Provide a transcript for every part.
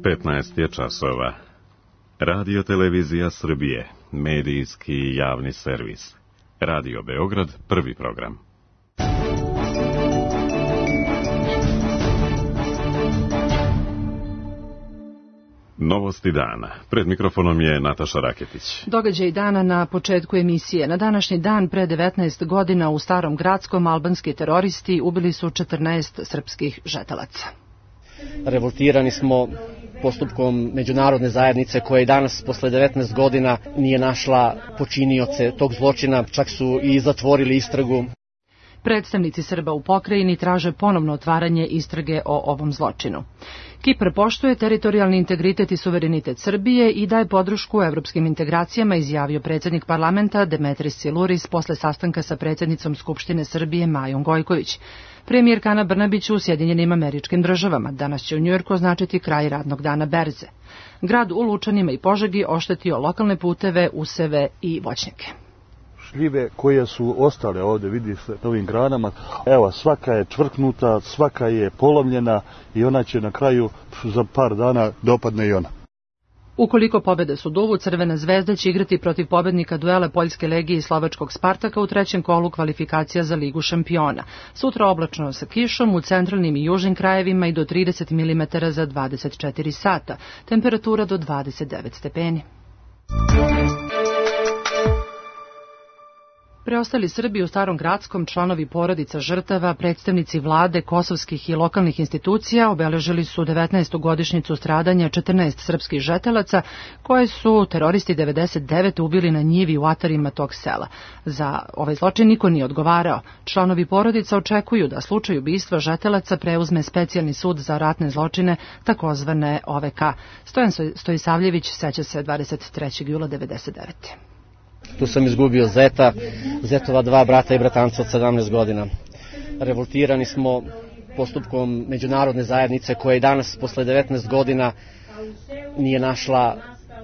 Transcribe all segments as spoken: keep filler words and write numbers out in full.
petnaest je časova. Radio Televizija Srbije, medijski javni servis. Radio Beograd, prvi program. Novosti dana. Pred mikrofonom je Nataša Raketić. Događaj dana na početku emisije. Na današnji dan pre devetnaest godina u Starom Gradskom albanski teroristi ubili su četrnaest srpskih žetelaca. Revoltirani smo postupkom međunarodne zajednice koja i danas posle devetnaest godina nije našla počinioce tog zločina, čak su i zatvorili istragu. Predstavnici Srba u pokrajini traže ponovno otvaranje istrage o ovom zločinu. Kipar poštuje teritorijalni integritet i suverenitet Srbije i daje podršku evropskim integracijama, izjavio predsjednik parlamenta Demetris Siluris posle sastanka sa predsjednicom Skupštine Srbije Majom Gojković. Premijerka Ana Brnabić u Sjedinjenim Američkim Državama. Danas će u Njujorku označiti kraj radnog dana berze. Grad u Lučanima i Požegi oštetio lokalne puteve, useve i voćnjake. Šljive koje su ostale ovdje, vidi se na ovim granama, evo svaka je čvrknuta, svaka je polomljena i ona će na kraju za par dana dopadne i ona. Ukoliko pobede Suduvu, Crvena zvezda će igrati protiv pobednika duela Poljske legije i Slovačkog Spartaka u trećem kolu kvalifikacija za Ligu šampiona. Sutra oblačno sa kišom u centralnim i južnim krajevima i do trideset milimetara za dvadeset četiri sata. Temperatura do dvadeset devet stepeni. Preostali Srbi u Starom Gradskom, članovi porodica žrtava, predstavnici vlade, kosovskih i lokalnih institucija obeležili su devetnaestu godišnjicu stradanja četrnaest srpskih žetelaca koje su teroristi devedeset devete ubili na njivi u atarima tog sela. Za ovaj zločin niko nije odgovarao. Članovi porodica očekuju da slučaj ubistva žetelaca preuzme specijalni sud za ratne zločine, takozvane O V K. Stojan Stojisavljević seća se dvadeset trećeg jula devedeset devete. Tu sam izgubio zeta, zetova dva brata i bratanca od sedamnaest godina. Revoltirani smo postupkom međunarodne zajednice koja i danas posle devetnaest godina nije našla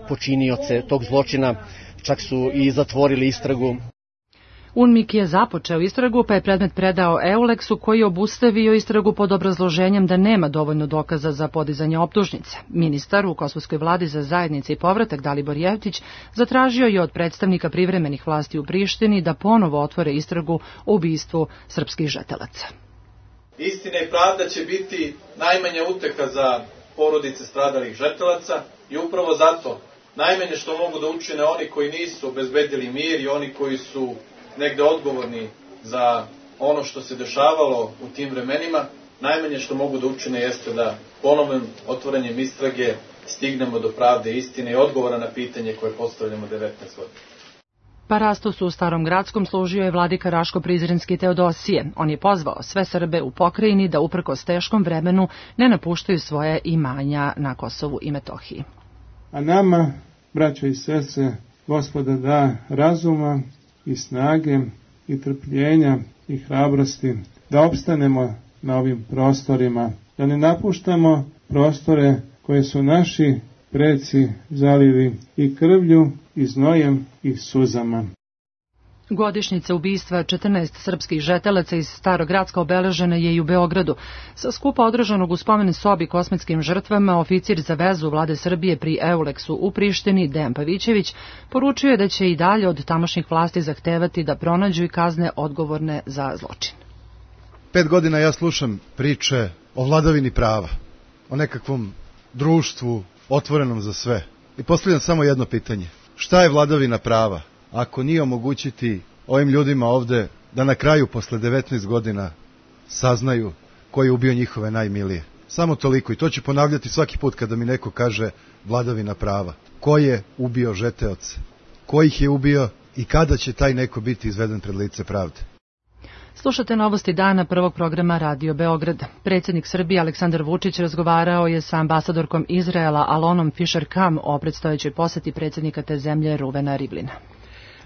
počinioce tog zločina, čak su i zatvorili istragu. UNMIK je započeo istragu, pa je predmet predao Euleksu koji je obustavio istragu pod obrazloženjem da nema dovoljno dokaza za podizanje optužnice. Ministar u kosovskoj vladi za zajednice i povratak Dalibor Jevtić zatražio je od predstavnika privremenih vlasti u Prištini da ponovo otvore istragu o ubistvu srpskih žetelaca. Istina i pravda će biti najmanja uteha za porodice stradalih žetelaca i upravo zato najmanje što mogu da učine oni koji nisu obezbedili mir i oni koji su negde odgovorni za ono što se dešavalo u tim vremenima, najmanje što mogu da učine jeste da ponovnim otvorenjem istrage stignemo do pravde, istine i odgovora na pitanje koje postavljamo devetnaest godina. Parastos u Starom Gradskom služio je vladika Raško-Prizrenski Teodosije. On je pozvao sve Srbe u pokrajini da uprkos teškom vremenu ne napuštaju svoje imanja na Kosovu i Metohiji. A nama, braćo i sestre, Gospoda da razuma i snage i trpljenja i hrabrosti da opstanemo na ovim prostorima, da ne napuštamo prostore koje su naši preci zalili i krvlju i znojem i suzama. Godišnjica ubistva četrnaest srpskih žetelaca iz Starog Gradska obeležena je i u Beogradu. Sa skupa održanog u spomen sobi kosmetskim žrtvama, oficir za vezu vlade Srbije pri Euleksu u Prištini, Dejan Pavićević, poručio je da će i dalje od tamošnjih vlasti zahtevati da pronađu i kazne odgovorne za zločin. Pet godina ja slušam priče o vladavini prava, o nekakvom društvu otvorenom za sve. I postavljam samo jedno pitanje. Šta je vladavina prava ako nije omogućiti ovim ljudima ovde da na kraju posle devetnaest godina saznaju ko je ubio njihove najmilije? Samo toliko, i to ću ponavljati svaki put kada mi neko kaže vladavina prava. Ko je ubio žeteoce? Ko ih je ubio i kada će taj neko biti izveden pred lice pravde? Slušate novosti dana prvog programa Radio Beograd. Predsjednik Srbije Aleksandar Vučić razgovarao je sa ambasadorkom Izraela Alonom Fisher-Kam o predstojećoj poseti predsjednika te zemlje Ruvena Rivlina.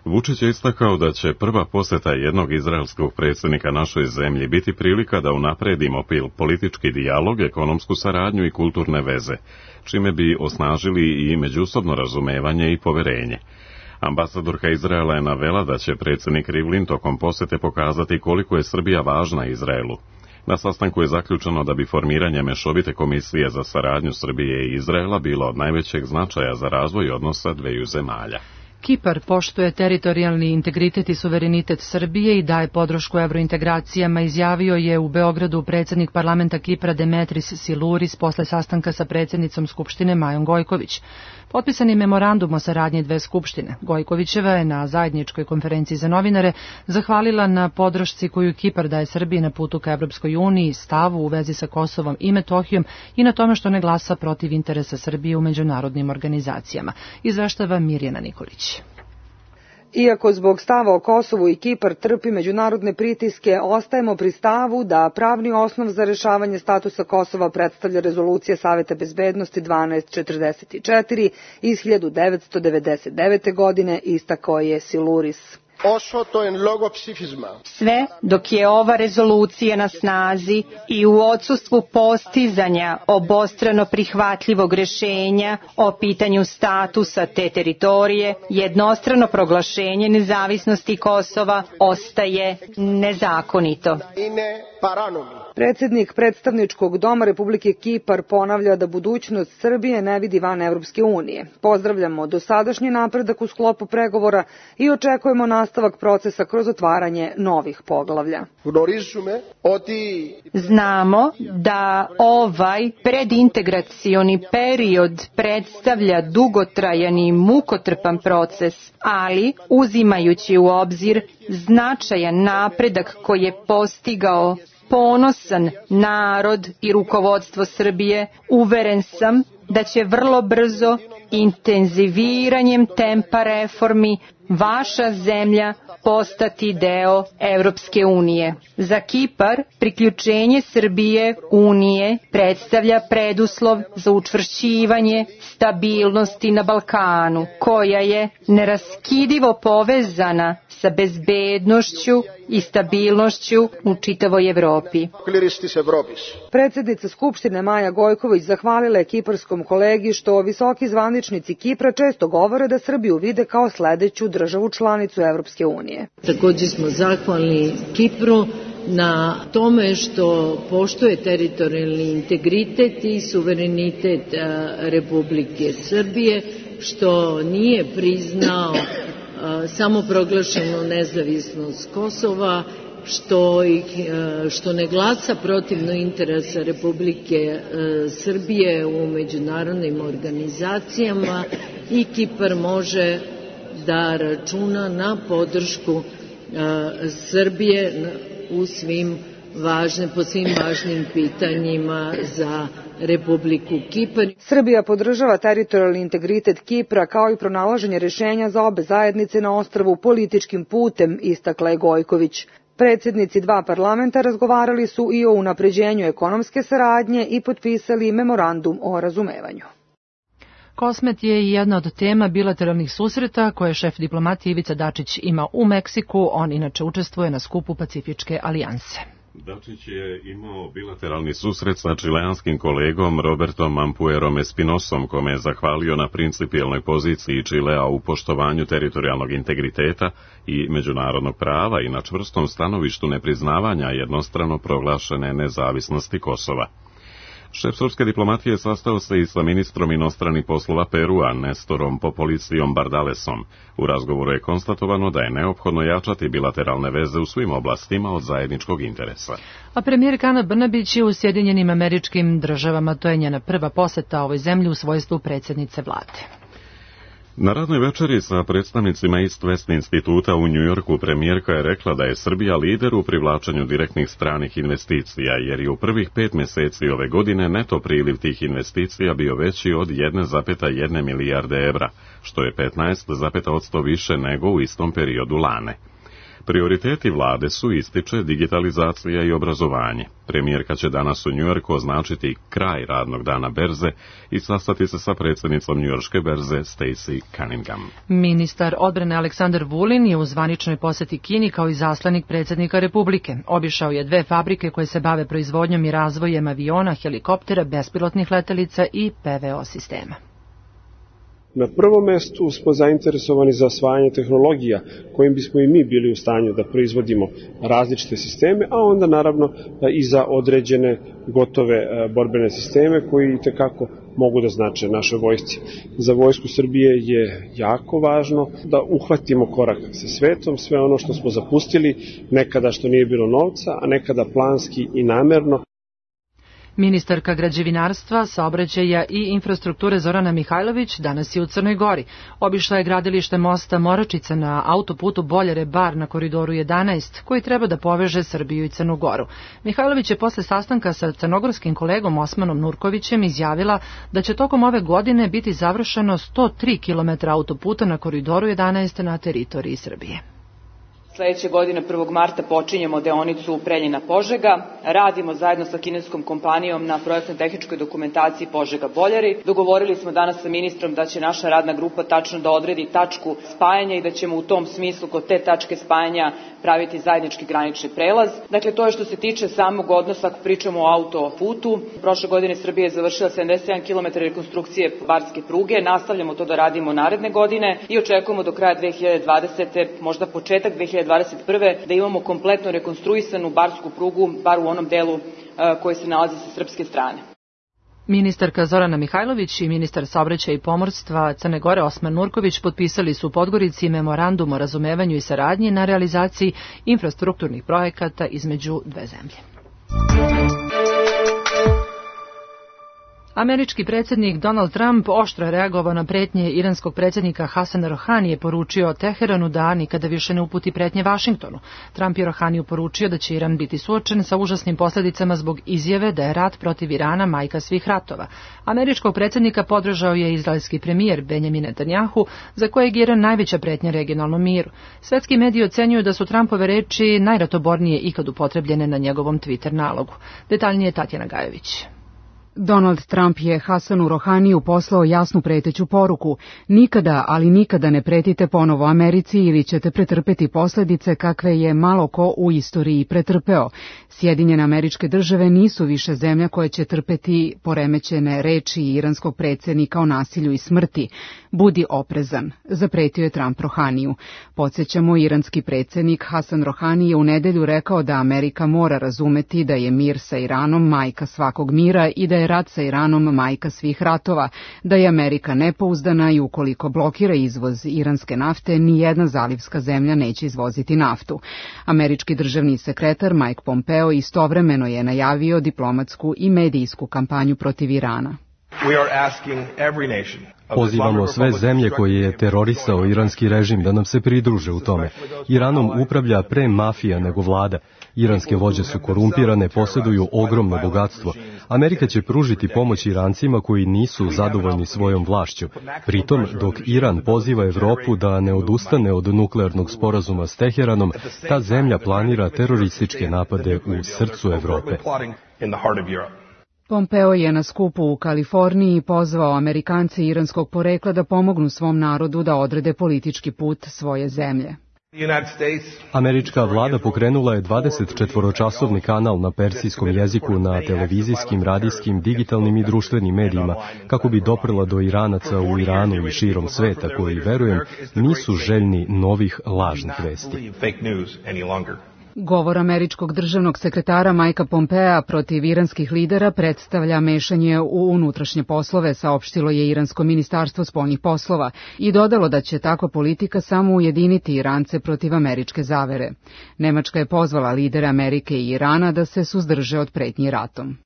Vučić je istakao da će prva poseta jednog izraelskog predsjednika našoj zemlji biti prilika da unapredimo politički dijalog, ekonomsku saradnju i kulturne veze, čime bi osnažili i međusobno razumevanje i poverenje. Ambasadorka Izraela je navela da će predsjednik Rivlin tokom posete pokazati koliko je Srbija važna Izraelu. Na sastanku je zaključeno da bi formiranje mešovite komisije za saradnju Srbije i Izraela bilo od najvećeg značaja za razvoj odnosa dveju zemalja. Kipar poštuje teritorijalni integritet i suverenitet Srbije i daje podršku evrointegracijama, izjavio je u Beogradu predsjednik parlamenta Kipra Demetris Siluris posle sastanka sa predsjednicom Skupštine Majom Gojković. Potpisan je memorandum o saradnji dve skupštine. Gojkovićeva je na zajedničkoj konferenciji za novinare zahvalila na podršci koju Kipar daje Srbiji na putu ka Evropskoj uniji, stavu u vezi sa Kosovom i Metohijom i na tome što ne glasa protiv interesa Srbije u međunarodnim organizacijama. Izveštava Mirjana Nikolić. Iako zbog stava o Kosovu i Kipar trpi međunarodne pritiske, ostajemo pri stavu da pravni osnov za rešavanje statusa Kosova predstavlja rezolucija Saveta bezbednosti dvanaest četrdeset četiri iz hiljadu devetsto devedeset devete. godine, istakao je Siluris. Sve dok je ova rezolucija na snazi i u odsustvu postizanja obostrano prihvatljivog rešenja o pitanju statusa te teritorije, jednostrano proglašenje nezavisnosti Kosova ostaje nezakonito. Predsjednik predstavničkog doma Republike Kipar ponavlja da budućnost Srbije ne vidi van Evropske unije. Pozdravljamo dosadašnji napredak u sklopu pregovora i očekujemo nastavak procesa kroz otvaranje novih poglavlja. Znamo da ovaj predintegracioni period predstavlja dugotrajan i mukotrpan proces, ali uzimajući u obzir značajan napredak koji je postigao ponosan narod i rukovodstvo Srbije, uveren sam da će vrlo brzo intenziviranjem tempa reformi vaša zemlja postati deo Evropske unije. Za Kipar priključenje Srbije Unije predstavlja preduslov za učvršćivanje stabilnosti na Balkanu, koja je neraskidivo povezana sa bezbednošću i stabilnošću u čitavoj Evropi. Predsjednica Skupštine Maja Gojković zahvalila je kiparskom kolegi što visoki zvaničnici Kipra često govore da Srbiju vide kao sledeću državu članicu Evropske unije. Također smo zahvalni Kipru na tome što poštuje teritorijalni integritet i suverenitet Republike Srbije, što nije priznao samoproglašenu nezavisnost Kosova, što, ih, što ne glasa protivno interesa Republike Srbije u međunarodnim organizacijama i Kipar može da računa na podršku Srbije u svim važne, po svim važnim pitanjima za Republiku Kipar. Srbija podržava teritorijalni integritet Kipra kao i pronalaženje rešenja za obe zajednice na ostrvu političkim putem, istakla je Gojković. Predsjednici dva parlamenta razgovarali su i o unapređenju ekonomske saradnje i potpisali memorandum o razumevanju. Kosmet je jedna od tema bilateralnih susreta koje šef diplomatije Ivica Dačić ima u Meksiku. On inače učestvuje na skupu Pacifičke alijanse. Dačić je imao bilateralni susret sa čileanskim kolegom Robertom Ampuerom Espinosom, kome je zahvalio na principijelnoj poziciji Čilea u poštovanju teritorijalnog integriteta i međunarodnog prava i na čvrstom stanovištu nepriznavanja jednostrano proglašene nezavisnosti Kosova. Šef srpske diplomatije sastao se i sa ministrom inostranih poslova Perua, Nestorom Popolicijom Bardalesom. U razgovoru je konstatovano da je neophodno jačati bilateralne veze u svim oblastima od zajedničkog interesa. A premijer Ana Brnabić je u Sjedinjenim Američkim Državama, to je njena prva poseta ovoj zemlji u svojstvu predsjednice vlade. Na radnoj večeri sa predstavnicima East West instituta u Njujorku premijerka je rekla da je Srbija lider u privlačenju direktnih stranih investicija, jer je u prvih pet mjeseci ove godine neto priliv tih investicija bio veći od jedna zarez jedna milijarde evra, što je petnaest zarez pet posto više nego u istom periodu lane. Prioriteti vlade su, ističe, digitalizacija i obrazovanje. Premijerka će danas u Njujorku označiti kraj radnog dana berze i sastati se sa predsjednicom njujorške berze Stacey Cunningham. Ministar odbrane Aleksandar Vulin je u zvaničnoj poseti Kini kao i zaslanik predsjednika Republike. Obišao je dve fabrike koje se bave proizvodnjom i razvojem aviona, helikoptera, bespilotnih letelica i P V O sistema. Na prvom mestu smo zainteresovani za osvajanje tehnologija kojim bismo i mi bili u stanju da proizvodimo različite sisteme, a onda naravno i za određene gotove borbene sisteme koji i tekako mogu da znače našoj vojsci. Za vojsku Srbije je jako važno da uhvatimo korak sa svetom, sve ono što smo zapustili, nekada što nije bilo novca, a nekada planski i namerno. Ministarka građevinarstva, saobraćaja i infrastrukture Zorana Mihajlović danas je u Crnoj Gori. Obišla je gradilište mosta Moračica na autoputu Boljare-Bar na koridoru jedanaest, koji treba da poveže Srbiju i Crnu Goru. Mihajlović je posle sastanka sa crnogorskim kolegom Osmanom Nurkovićem izjavila da će tokom ove godine biti završeno sto tri kilometra autoputa na koridoru jedanaest na teritoriji Srbije. Sledeće godine prvog marta počinjemo deonicu Preljina-Požega. Radimo zajedno sa kineskom kompanijom na projektno-tehničkoj dokumentaciji Požega-Boljari. Dogovorili smo danas sa ministrom da će naša radna grupa tačno da odredi tačku spajanja i da ćemo u tom smislu kod te tačke spajanja praviti zajednički granični prelaz. Dakle, to je što se tiče samog odnosa ako pričamo o autoputu. Prošle godine Srbija je završila sedamdeset jedan kilometar rekonstrukcije barske pruge. Nastavljamo to da radimo naredne godine i očekujemo do kraja dve hiljade dvadesete. možda početak dve hiljade dvadeset prve. da imamo kompletno rekonstruisanu barsku prugu, bar u onom delu koji se nalazi sa srpske strane. Ministarka Zorana Mihajlović i ministar saobraćaja i pomorstva Crne Gore Osman Nurković potpisali su u Podgorici memorandum o razumevanju i saradnji na realizaciji infrastrukturnih projekata između dve zemlje. Američki predsjednik Donald Trump oštro je reagovao na pretnje iranskog predsjednika Hasana Rohanije i poručio Teheranu da nikada više ne uputi pretnje Vašingtonu. Trump je Rohaniju poručio da će Iran biti suočen sa užasnim posljedicama zbog izjave da je rat protiv Irana majka svih ratova. Američkog predsjednika podržao je izraelski premijer Benjamin Netanjahu, za kojeg je Iran najveća pretnja regionalnom miru. Svetski mediji ocenjuju da su Trumpove reči najratobornije ikad upotrebljene na njegovom Twitter nalogu. Detaljnije Tatjana Gajović. Donald Trump je Hasanu Rohaniju poslao jasnu preteću poruku. Nikada, ali nikada ne pretite ponovo Americi ili ćete pretrpeti posljedice kakve je malo ko u istoriji pretrpeo. Sjedinjene Američke Države nisu više zemlja koje će trpeti poremećene reči iranskog predsjednika o nasilju i smrti. Budi oprezan, zapretio je Trump Rohaniju. Podsjećamo, iranski predsjednik Hasan Rohani je u nedelju rekao da Amerika mora razumeti da je mir sa Iranom majka svakog mira i da je rat sa Iranom majka svih ratova, da je Amerika nepouzdana i ukoliko blokira izvoz iranske nafte, nijedna zalivska zemlja neće izvoziti naftu. Američki državni sekretar Mike Pompeo istovremeno je najavio diplomatsku i medijsku kampanju protiv Irana. Pozivamo sve zemlje koje je terorisao iranski režim da nam se pridruže u tome. Iranom upravlja pre mafija nego vlada. Iranske vođe su korumpirane, posjeduju ogromno bogatstvo. Amerika će pružiti pomoć Irancima koji nisu zadovoljni svojom vlašću. Pritom, dok Iran poziva Evropu da ne odustane od nuklearnog sporazuma s Teheranom, ta zemlja planira terorističke napade u srcu Evrope. Pompeo je na skupu u Kaliforniji pozvao Amerikance iranskog porekla da pomognu svom narodu da odrede politički put svoje zemlje. Američka vlada pokrenula je dvadesetčetvoročasovni kanal na persijskom jeziku na televizijskim, radijskim, digitalnim i društvenim medijima kako bi doprla do Iranaca u Iranu i širom sveta koji, verujem, nisu željni novih lažnih vesti. Govor američkog državnog sekretara Majka Pompea protiv iranskih lidera predstavlja mešanje u unutrašnje poslove, saopštilo je iransko ministarstvo spoljnih poslova i dodalo da će takva politika samo ujediniti Irance protiv američke zavere. Nemačka je pozvala lidere Amerike i Irana da se suzdrže od pretnji ratom.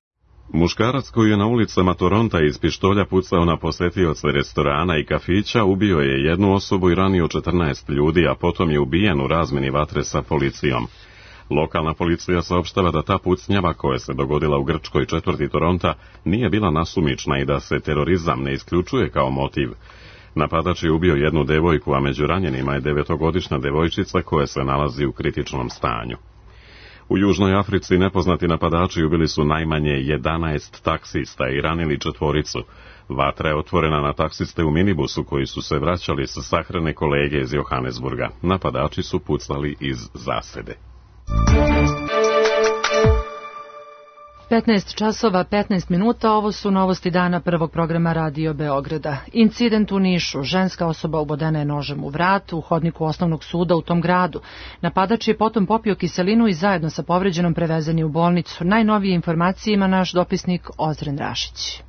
Muškarac koji je na ulicama Toronta iz pištolja pucao na posetioce restorana i kafića ubio je jednu osobu i ranio četrnaest ljudi, a potom je ubijen u razmeni vatre sa policijom. Lokalna policija saopštava da ta pucnjava koja se dogodila u grčkoj četvrti Toronta nije bila nasumična i da se terorizam ne isključuje kao motiv. Napadač je ubio jednu devojku, a među ranjenima je devetogodišnja devojčica koja se nalazi u kritičnom stanju. U Južnoj Africi nepoznati napadači ubili su najmanje jedanaest taksista i ranili četvoricu. Vatra je otvorena na taksiste u minibusu koji su se vraćali sa sahrane kolege iz Johannesburga. Napadači su pucali iz zasede. petnaest časova petnaest minuta, ovo su novosti dana prvog programa Radio Beograda. Incident u Nišu, ženska osoba ubodena je nožem u vrat u hodniku osnovnog suda u tom gradu. Napadač je potom popio kiselinu i zajedno sa povređenom prevezen je u bolnicu. Najnovije informacije ima naš dopisnik Ozren Rašić.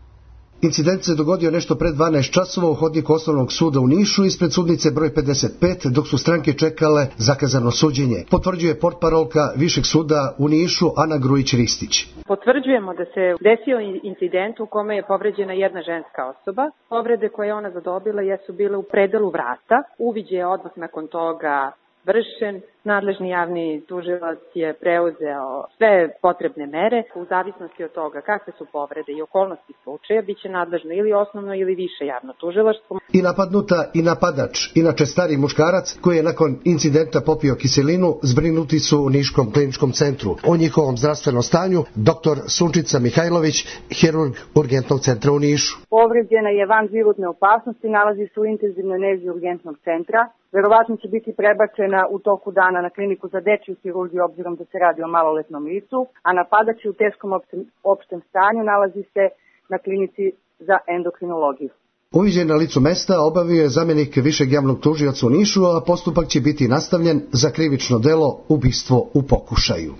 Incident se dogodio nešto pre dvanaest časova u hodniku osnovnog suda u Nišu ispred sudnice broj pedeset pet, dok su stranke čekale zakazano suđenje. Potvrđuje portparolka Višeg suda u Nišu Ana Grujić-Ristić. Potvrđujemo da se desio incident u kome je povređena jedna ženska osoba. Povrede koje je ona zadobila jesu bile u predelu vrata. Uviđaj je odmah nakon toga vršen. Nadležni javni tužilac je preuzeo sve potrebne mere. U zavisnosti od toga kakve su povrede i okolnosti slučaja, bit će nadležno ili osnovno ili više javno tužilaštvo. I napadnuta i napadač, inače stari muškarac koji je nakon incidenta popio kiselinu, zbrinuti su u Niškom kliničkom centru. O njihovom zdravstvenom stanju doktor Sunčica Mihajlović, hirurg urgentnog centra u Nišu. Povređena je van životne opasnosti, nalazi se u intenzivnoj nezi urgentnog centra. Verovatno će biti prebačena u toku dana na kliniku za dečju hirurgiju obzirom da se radi o maloletnom licu, a napadač je u teškom opštem, opštem stanju, nalazi se na klinici za endokrinologiju. Uviđaj na licu mesta obavio je zamjenik višeg javnog tužioca u Nišu, a postupak će biti nastavljen za krivično delo ubistvo u pokušaju.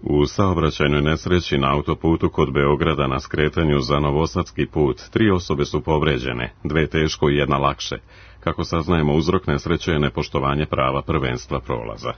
U saobraćajnoj nesreći na autoputu kod Beograda na skretanju za Novosadski put tri osobe su povređene, dve teško i jedna lakše. Kako saznajemo, uzrok nesreće je nepoštovanje prava prvenstva prolaza.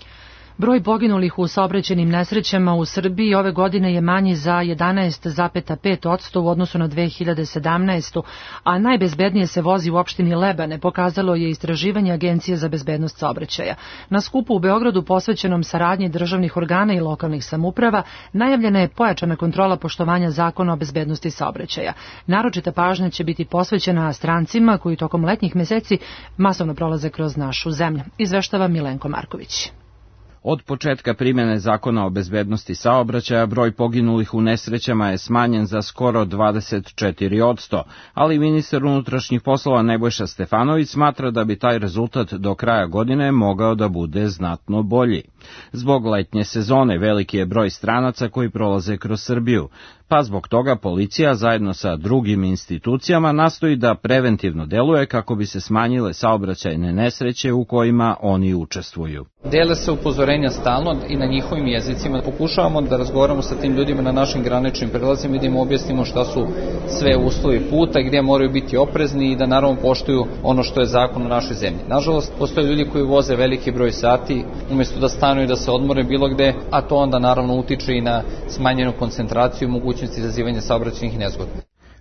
Broj poginulih u saobraćajnim nesrećama u Srbiji ove godine je manji za jedanaest zarez pet posto u odnosu na dve hiljade sedamnaestu. a najbezbednije se vozi u opštini Lebane, pokazalo je istraživanje Agencije za bezbednost saobraćaja. Na skupu u Beogradu posvećenom saradnji državnih organa i lokalnih samouprava najavljena je pojačana kontrola poštovanja zakona o bezbednosti saobraćaja. Naročita pažnja će biti posvećena strancima koji tokom letnjih meseci masovno prolaze kroz našu zemlju, izveštava Milenko Marković. Od početka primjene zakona o bezbednosti saobraćaja broj poginulih u nesrećama je smanjen za skoro dvadeset četiri posto, ali ministar unutrašnjih poslova Nebojša Stefanović smatra da bi taj rezultat do kraja godine mogao da bude znatno bolji. Zbog letnje sezone veliki je broj stranaca koji prolaze kroz Srbiju, pa zbog toga policija zajedno sa drugim institucijama nastoji da preventivno deluje kako bi se smanjile saobraćajne nesreće u kojima oni učestvuju. Dele se upozorenja stalno i na njihovim jezicima. Pokušavamo da razgovaramo sa tim ljudima na našim graničnim prelazima i da im objasnimo šta su sve uslovi puta, gdje moraju biti oprezni i da naravno poštuju ono što je zakon u našoj zemlji. Nažalost, postoje ljudi koji voze veliki broj sati umjesto da stanu i da se odmore bilo gde, a to onda naravno utiče i na smanjenu koncentraciju i mogućnosti izazivanja saobraćajnih nezgoda.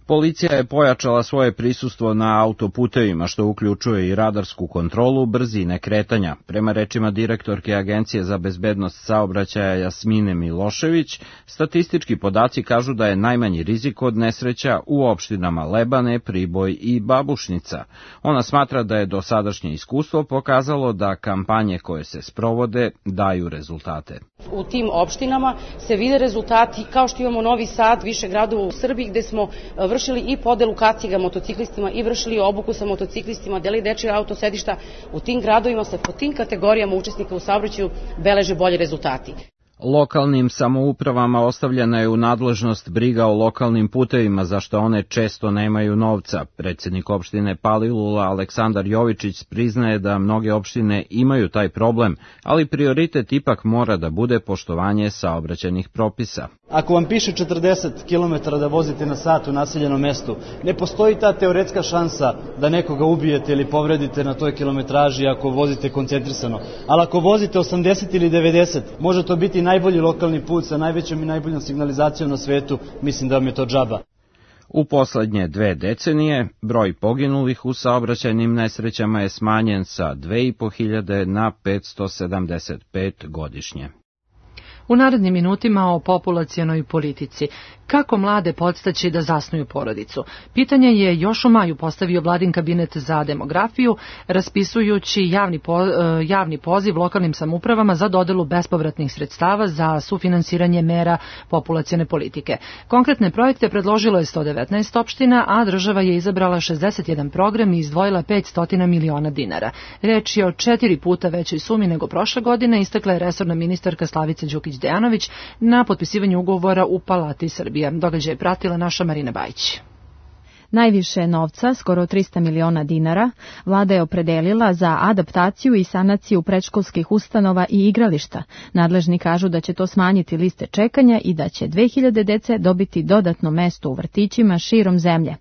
Policija je pojačala svoje prisustvo na autoputevima, što uključuje i radarsku kontrolu brzine kretanja. Prema rečima direktorke Agencije za bezbednost saobraćaja Jasmine Milošević, statistički podaci kažu da je najmanji rizik od nesreća u opštinama Lebane, Priboj i Babušnica. Ona smatra da je dosadašnje iskustvo pokazalo da kampanje koje se sprovode daju rezultate. U tim opštinama se vide rezultati, kao što imamo Novi Sad, više gradova u Srbiji gde smo vršili i podelu kaciga motociklistima i vršili obuku sa motociklistima, deli dečje autosedišta. U tim gradovima se po tim kategorijama učesnika u saobraćaju beleže bolji rezultati. Lokalnim samoupravama ostavljena je u nadležnost briga o lokalnim putevima, za što one često nemaju novca. Predsjednik opštine Palilula Aleksandar Jovičić priznaje da mnoge opštine imaju taj problem, ali prioritet ipak mora da bude poštovanje saobraćajnih propisa. Ako vam piše četrdeset kilometara da vozite na sat u naseljenom mestu, ne postoji ta teoretska šansa da nekoga ubijete ili povredite na toj kilometraži ako vozite koncentrisano. Ali ako vozite osamdeset ili devedeset, može to biti najbolji lokalni put sa najvećom i najboljom signalizacijom na svetu, mislim da vam je to džaba. U poslednje dve decenije broj poginulih u saobraćajnim nesrećama je smanjen sa dve i po hiljade na petsto sedamdeset pet godišnje. U narednim minutima o populacionoj politici. Kako mlade podstaći da zasnuju porodicu? Pitanje je još u maju postavio Vladin kabinet za demografiju, raspisujući javni, po, javni poziv lokalnim samoupravama za dodelu bespovratnih sredstava za sufinansiranje mera populacione politike. Konkretne projekte predložilo je sto devetnaest opština, a država je izabrala šezdeset jedan program i izdvojila petsto miliona dinara. Reč je o četiri puta većoj sumi nego prošle godine, istakla je resorna ministarka Slavica Đukić Đukić-Dejanović na potpisivanju ugovora u Palati Srbije. Događaj je pratila naša Marina Bajić. Najviše novca, skoro trista miliona dinara, vlada je opredelila za adaptaciju i sanaciju predškolskih ustanova i igrališta. Nadležni kažu da će to smanjiti liste čekanja i da će dve hiljade dece dobiti dodatno mesto u vrtićima širom zemlje.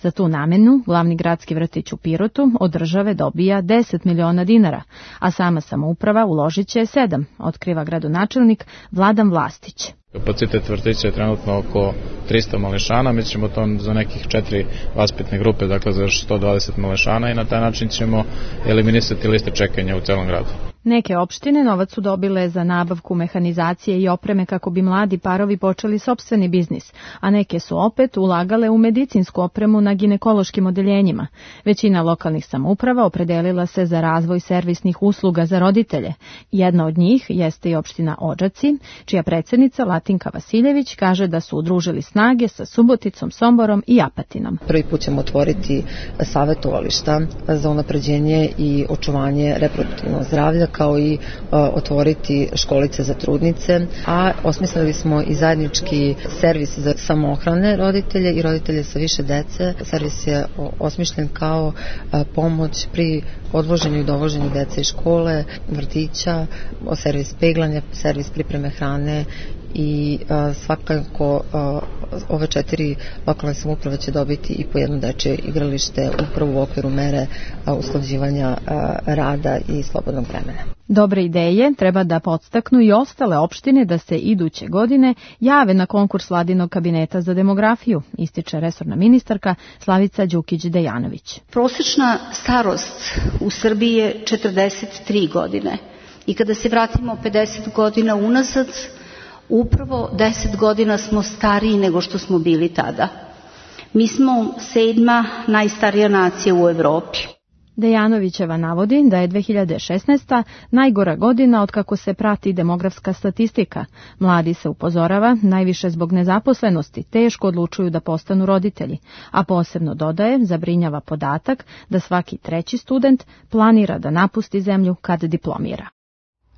Za tu namenu, glavni gradski vrtić u Pirotu od države dobija deset miliona dinara, a sama samouprava uložit će sedam, otkriva gradonačelnik Vladan Vlastić. Kapacitet vrtića je trenutno oko trista malešana, mi ćemo to za nekih četiri vaspitne grupe, dakle za sto dvadeset malešana i na taj način ćemo eliminisati liste čekanja u celom gradu. Neke opštine novac su dobile za nabavku mehanizacije i opreme kako bi mladi parovi počeli sopstveni biznis, a neke su opet ulagale u medicinsku opremu na ginekološkim odeljenjima. Većina lokalnih samouprava opredelila se za razvoj servisnih usluga za roditelje. Jedna od njih jeste i opština Odžaci, čija predsednica Latinka Vasiljević kaže da su udružili snage sa Suboticom, Somborom i Apatinom. Prvi put ćemo otvoriti savjetovališta za unapređenje i očuvanje reproduktivnog zdravlja, kao i uh, otvoriti školice za trudnice, a osmislili smo i zajednički servis za samoohrane roditelje i roditelje sa više dece. Servis je osmišljen kao uh, pomoć pri odvoženju i dovoženju dece iz škole, vrtića, servis peglanja, servis pripreme hrane i uh, svakako uh, ove četiri lokalne samouprave će dobiti i po jedno dečje igralište upravo u okviru mere uh, usklađivanja uh, rada i slobodnog vremena. Dobre ideje treba da podstaknu i ostale opštine da se iduće godine jave na konkurs Vladinog kabineta za demografiju, ističe resorna ministarka Slavica Đukić-Dejanović. Prosečna starost u Srbiji je četrdeset tri godine i kada se vratimo pedeset godina unazad, upravo deset godina smo stariji nego što smo bili tada. Mi smo sedma najstarija nacija u Evropi. Dejanovićeva navodi da je dve hiljade šesnaesta. najgora godina od kako se prati demografska statistika. Mladi, se upozorava, najviše zbog nezaposlenosti teško odlučuju da postanu roditelji, a posebno dodaje, zabrinjava podatak da svaki treći student planira da napusti zemlju kad diplomira.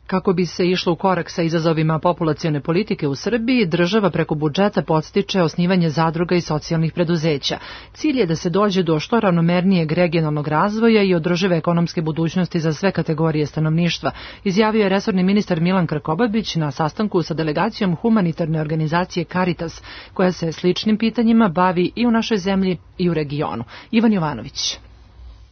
Kako bi se išlo u korak sa izazovima populacione politike u Srbiji, država preko budžeta podstiče osnivanje zadruga i socijalnih preduzeća. Cilj je da se dođe do što ravnomernijeg regionalnog razvoja i održive ekonomske budućnosti za sve kategorije stanovništva, izjavio je resorni ministar Milan Krkobabić na sastanku sa delegacijom humanitarne organizacije Caritas, koja se sličnim pitanjima bavi i u našoj zemlji i u regionu. Ivan Jovanović.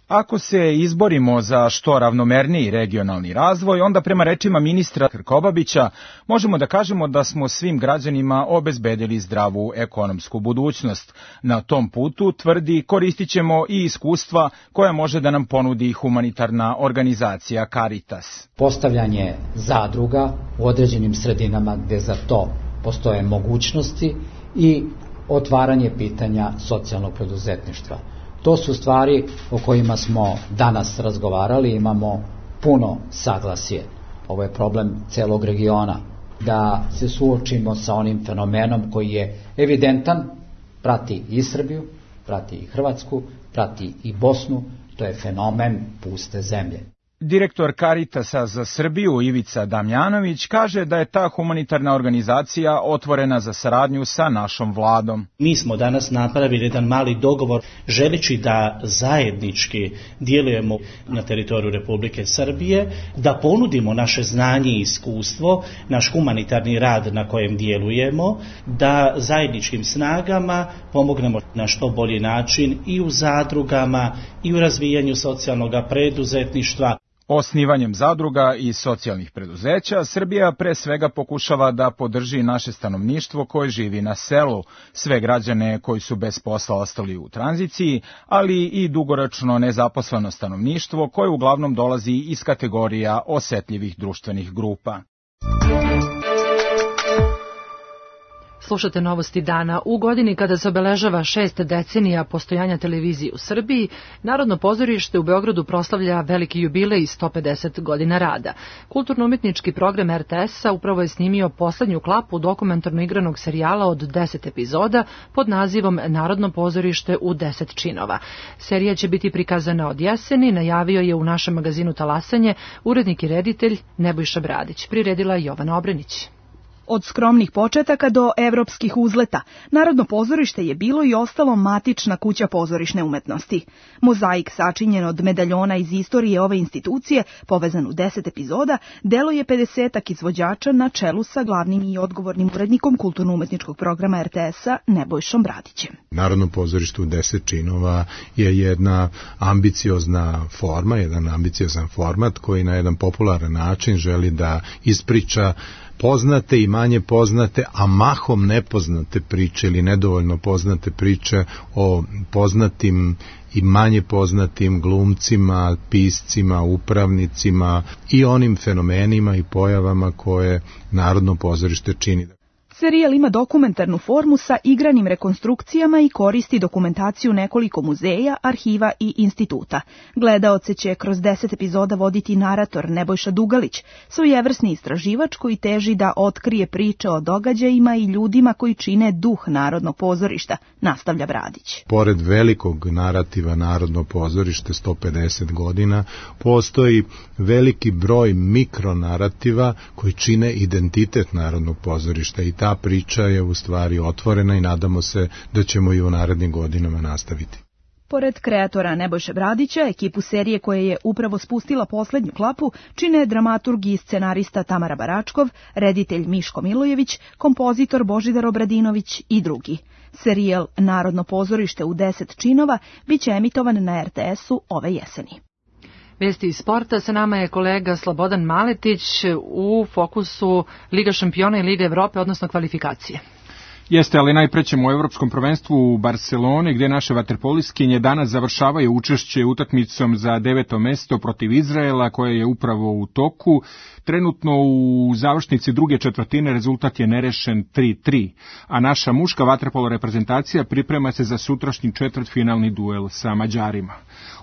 Ako se izborimo za što ravnomerniji regionalni razvoj, onda prema rečima ministra Krkobabića možemo da kažemo da smo svim građanima obezbedili zdravu ekonomsku budućnost. Na tom putu, tvrdi, koristit ćemo i iskustva koja može da nam ponudi humanitarna organizacija Caritas. Postavljanje zadruga u određenim sredinama gde za to postoje mogućnosti i otvaranje pitanja socijalnog preduzetništva. To su stvari o kojima smo danas razgovarali, imamo puno saglasje. Ovo je problem celog regiona, da se suočimo sa onim fenomenom koji je evidentan, prati i Srbiju, prati i Hrvatsku, prati i Bosnu, to je fenomen puste zemlje. Direktor Caritasa za Srbiju Ivica Damjanović kaže da je ta humanitarna organizacija otvorena za saradnju sa našom vladom. Mi smo danas napravili jedan mali dogovor želeći da zajednički djelujemo na teritoriju Republike Srbije, da ponudimo naše znanje i iskustvo, naš humanitarni rad na kojem djelujemo, da zajedničkim snagama pomognemo na što bolji način i u zadrugama i u razvijanju socijalnog preduzetništva. Osnivanjem zadruga i socijalnih preduzeća, Srbija pre svega pokušava da podrži naše stanovništvo koje živi na selu, sve građane koji su bez posla ostali u tranziciji, ali i dugoročno nezaposleno stanovništvo koje uglavnom dolazi iz kategorija osetljivih društvenih grupa. Slušate novosti dana. U godini kada se obeležava šest decenija postojanja televizije u Srbiji, Narodno pozorište u Beogradu proslavlja veliki jubilej sto pedeset godina rada. Kulturno-umetnički program er te es-a upravo je snimio poslednju klapu dokumentarno igranog serijala od deset epizoda pod nazivom Narodno pozorište u deset činova. Serija će biti prikazana od jeseni, najavio je u našem magazinu Talasanje urednik i reditelj Nebojša Bradić. Priredila Jovana Obrenić. Od skromnih početaka do evropskih uzleta, Narodno pozorište je bilo i ostalo matična kuća pozorišne umetnosti. Mozaik sačinjen od medaljona iz istorije ove institucije, povezan u deset epizoda, delo je pedesetak izvođača na čelu sa glavnim i odgovornim urednikom kulturno-umetničkog programa er te es-a Nebojšom Bradićem. Narodno pozorište u deset činova je jedna ambiciozna forma, jedan ambiciozan format koji na jedan popularan način želi da ispriča poznate i manje poznate, a mahom nepoznate priče ili nedovoljno poznate priče o poznatim i manje poznatim glumcima, piscima, upravnicima i onim fenomenima i pojavama koje Narodno pozorište čini. Serijal ima dokumentarnu formu sa igranim rekonstrukcijama i koristi dokumentaciju nekoliko muzeja, arhiva i instituta. Gledaoce će kroz deset epizoda voditi narator Nebojša Dugalić, svojevrsni istraživač koji teži da otkrije priče o događajima i ljudima koji čine duh Narodnog pozorišta, nastavlja Bradić. Pored velikog narativa Narodno pozorište sto pedeset godina, postoji veliki broj mikronarativa koji čine identitet Narodnog pozorišta i ta priča je u stvari otvorena i nadamo se da ćemo i u narednim godinama nastaviti. Pored kreatora Nebojše Bradića, ekipu serije koja je upravo spustila poslednju klapu, čine dramaturg i scenarista Tamara Baračkov, reditelj Miško Milojević, kompozitor Božidar Obradinović i drugi. Serijal Narodno pozorište u deset činova biće emitovan na er te es-u ove jeseni. Vesti iz sporta, sa nama je kolega Slobodan Maletić u fokusu Liga šampiona i Liga Evrope, odnosno kvalifikacije. Jeste, ali najpre ćemo u Evropskom prvenstvu u Barceloni, gdje naše vaterpoliskinje danas završavaju učešće utakmicom za deveto mesto protiv Izraela, koje je upravo u toku. Trenutno u završnici druge četvrtine rezultat je nerešen tri tri, a naša muška vaterpolo reprezentacija priprema se za sutrašnji četvrtfinalni duel sa Mađarima.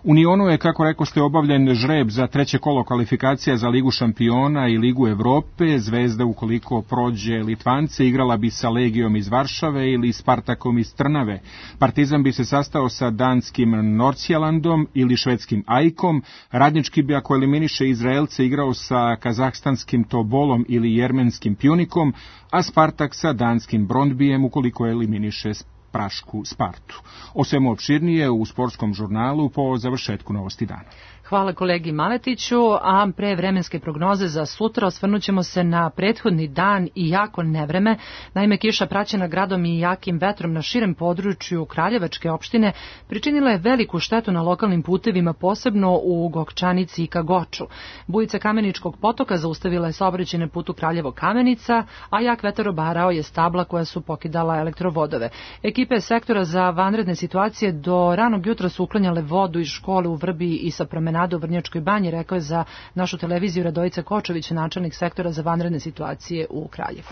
U Nionu je, kako rekoste, obavljen žreb za treće kolo kvalifikacija za Ligu šampiona i Ligu Evrope. Zvezda, ukoliko prođe Litvance, igrala bi sa Legijom iz Varšave ili Spartakom iz Trnave. Partizan bi se sastao sa danskim Nordsjællandom ili švedskim Ajkom. Radnički bi, ako eliminiše Izraelce, igrao sa kazahstanskim Tobolom ili jermenskim Pjunikom, a Spartak sa danskim Brondbijem, ukoliko eliminiše prašku Spartu. O svemu opširnije u sportskom žurnalu po završetku novosti dana. Hvala kolegi Maletiću, a pre vremenske prognoze za sutra osvrnut ćemo se na prethodni dan i jako nevreme. Naime, kiša praćena gradom i jakim vetrom na širem području Kraljevačke opštine pričinila je veliku štetu na lokalnim putevima, posebno u Gokčanici i Kagoču. Bujica Kameničkog potoka zaustavila je saobraćaj na putu Kraljevo-Kamenica, a jak vetar obarao je stabla koja su pokidala elektrovodove. Ekipe sektora za vanredne situacije do ranog jutra su uklanjale vodu iz škole u Vrbi i sa promenade u Vrnjačkoj banji, rekao je za našu televiziju Radojica Kočović, načelnik sektora za vanredne situacije u Kraljevu.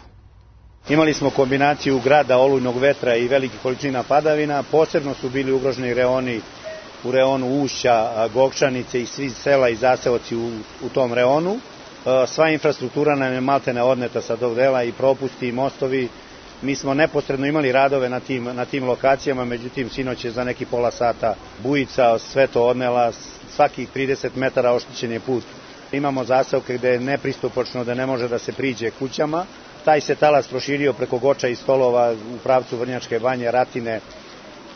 Imali smo kombinaciju grada, olujnog vetra i velikih količina padavina. Posebno su bili ugroženi reoni u reonu Ušća, Gokčanice i svi sela i zaseoci u, u tom reonu. Sva infrastruktura nam je maltene odneta sa tog dela, i propusti i mostovi. Mi smo neposredno imali radove na tim, na tim lokacijama, međutim sinoć je za neki pola sata bujica sve to odnela, svakih trideset metara oštećen je put. Imamo zaseoke gde je nepristupačno, da ne može da se priđe kućama. Taj se talas proširio preko Goča i Stolova u pravcu Vrnjačke banje, Ratine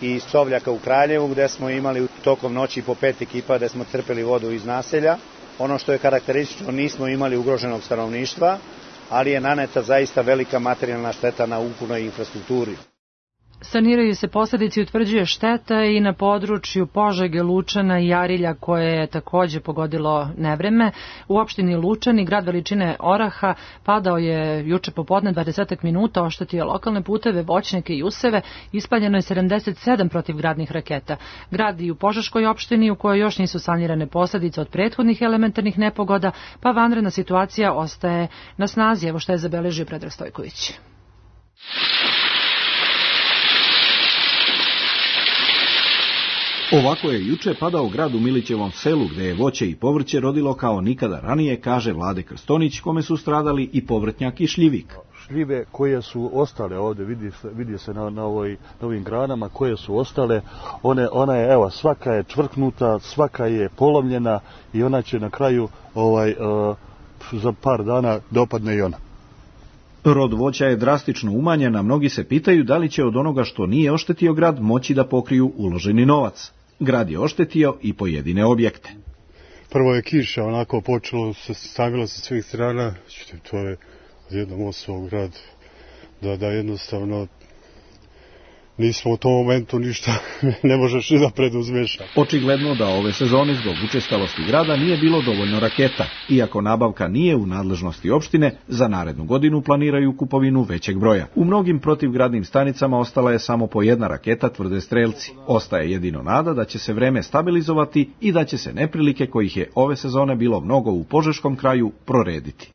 i Sovljaka u Kraljevu, gde smo imali tokom noći po pet ekipa gde smo crpeli vodu iz naselja. Ono što je karakteristično, nismo imali ugroženog stanovništva, ali je naneta zaista velika materijalna šteta na ukupnoj infrastrukturi. Saniraju se posledice i utvrđuje šteta i na području Požege, Lučana i Arilja, koje je takođe pogodilo nevreme. U opštini Lučani, grad veličine oraha, padao je juče popodne dvadeset minuta, oštetio lokalne puteve, voćnjake i useve, ispaljeno je sedamdeset sedam protivgradnih raketa. Grad i u Požeškoj opštini, u kojoj još nisu sanirane posledice od prethodnih elementarnih nepogoda, pa vanredna situacija ostaje na snazi. Evo šta je zabeležio Predrag Stojković. Ovako je juče padao grad u Milićevom selu, gde je voće i povrće rodilo kao nikada ranije, kaže Vlade Krstonić, kome su stradali i povrtnjak i šljivik. Šljive koje su ostale ovde, vidi se, vidi se na, na, ovoj, na ovim granama koje su ostale, one, ona je, evo, svaka je čvrknuta, svaka je polomljena i ona će na kraju ovaj, uh, za par dana dopadne i ona. Rod voća je drastično umanjen, a mnogi se pitaju da li će od onoga što nije oštetio grad moći da pokriju uloženi novac. Grad je oštetio i pojedine objekte. Prvo je kiša, onako počelo se stavilo sa svih strana, to je odjednom osvao grad, da, da jednostavno nismo u tom momentu ništa, ne možeš ni da preduzmeš. Očigledno da ove sezone zbog učestalosti grada nije bilo dovoljno raketa. Iako nabavka nije u nadležnosti opštine, za narednu godinu planiraju kupovinu većeg broja. U mnogim protivgradnim stanicama ostala je samo po jedna raketa, tvrde strelci. Ostaje jedino nada da će se vreme stabilizovati i da će se neprilike kojih je ove sezone bilo mnogo u Požeškom kraju prorediti.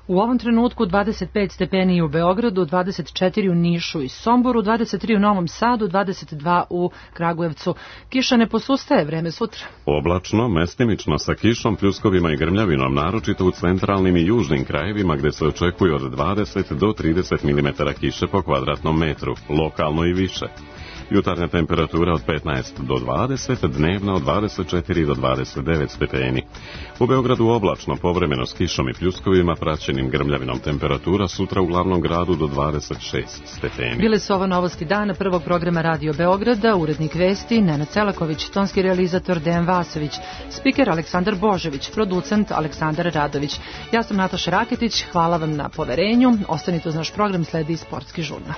U ovom trenutku dvadeset pet stepeni u Beogradu, dvadeset četiri u Nišu i Somboru, dvadeset tri u Novom Sadu, dvadeset dva u Kragujevcu. Kiša ne posustaje, vreme sutra. Oblačno, mestimično sa kišom, pljuskovima i grmljavinom, naročito u centralnim i južnim krajevima gde se očekuje od dvadeset do trideset milimetara kiše po kvadratnom metru, lokalno i više. Jutarnja temperatura od petnaest do dvadeset, dnevna od dvadeset četiri do dvadeset devet stepeni. U Beogradu oblačno, povremeno s kišom i pljuskovima, praćenim grmljavinom, temperatura sutra u glavnom gradu do dvadeset šest stepeni. Bile su ovo novosti dana prvog programa Radio Beograda, urednik vesti Nenad Celaković, tonski realizator Dejan Vasović, spiker Aleksandar Božević, producent Aleksandar Radović. Ja sam Nataša Raketić, hvala vam na poverenju, ostanite uz naš program, sledi Sportski žurnal.